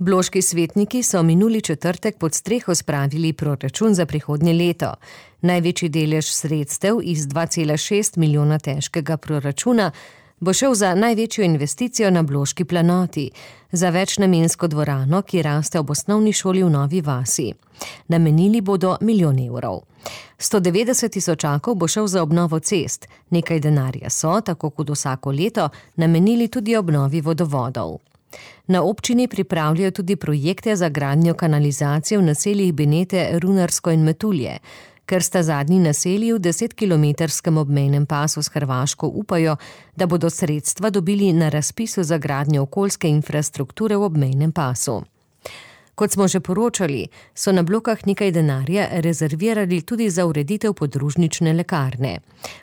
Bloški svetniki so minuli četrtek pod streho spravili proračun za prihodnje leto. Največji delež sredstev iz 2,6 milijona težkega proračuna bo šel za največjo investicijo na Bloški planoti, za večnamensko dvorano, ki raste ob osnovni šoli v Novi vasi. Namenili bodo 1 milijon evrov. 190 tisočakov bo šel za obnovo cest, nekaj denarja so, tako kot vsako leto, namenili tudi obnovi vodovodov. Na občini pripravljajo tudi projekte za gradnjo kanalizacije v naseljih Benete, Runarsko in Metulje. Ker sta zadnji naselji v 10-kilometrskem obmejnem pasu s Hrvaško, upajo, da bodo sredstva dobili na razpisu za gradnjo okoljske infrastrukture v obmejnem pasu. Kot smo že poročali, so na Blokah nekaj denarja rezervirali tudi za ureditev podružnične lekarne.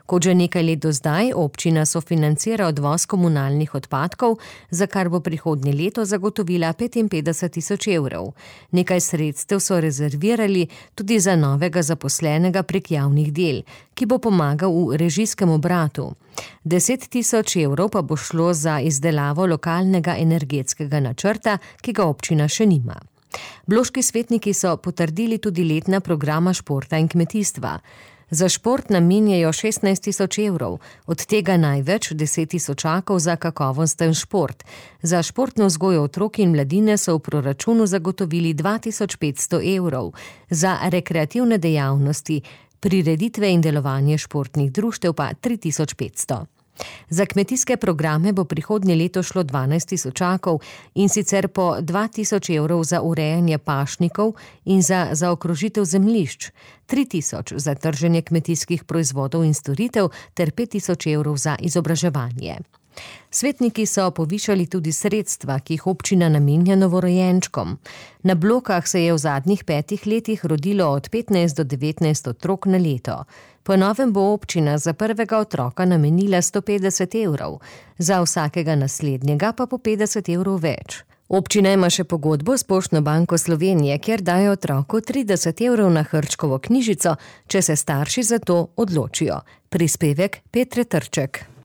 Kot že nekaj let do zdaj, občina sofinancira odvoz komunalnih odpadkov, za kar bo prihodnje leto zagotovila 55 tisoč evrov. Nekaj sredstev so rezervirali tudi za novega zaposlenega prek javnih del, ki bo pomagal v režijskem obratu. 10 tisoč evrov pa bo šlo za izdelavo lokalnega energetskega načrta, ki ga občina še nima. Bloški svetniki so potrdili tudi letna programa športa in kmetijstva. Za šport namenjajo 16 tisoč evrov, od tega največ 10 tisočakov za kakovosten šport. Za športno vzgojo otrok in mladine so v proračunu zagotovili 2500 evrov, za rekreativne dejavnosti, prireditve in delovanje športnih društev pa 3500. Za kmetijske programe bo prihodnje leto šlo 12 tisočakov, in sicer po 2000 evrov za urejanje pašnikov in za zaokrožitev zemljišč, 3000 za trženje kmetijskih proizvodov in storitev ter 5000 evrov za izobraževanje. Svetniki so povišali tudi sredstva, ki jih občina namenja novorojenčkom. Na Blokah se je v zadnjih 5 letih rodilo od 15 do 19 otrok na leto. Po novem bo občina za prvega otroka namenila 150 evrov, za vsakega naslednjega pa po 50 evrov več. Občina ima še pogodbo s Poštno banko Slovenije, kjer daje otroku 30 evrov na Hrčkovo knjižico, če se starši za to odločijo. Prispevek Petre Trček.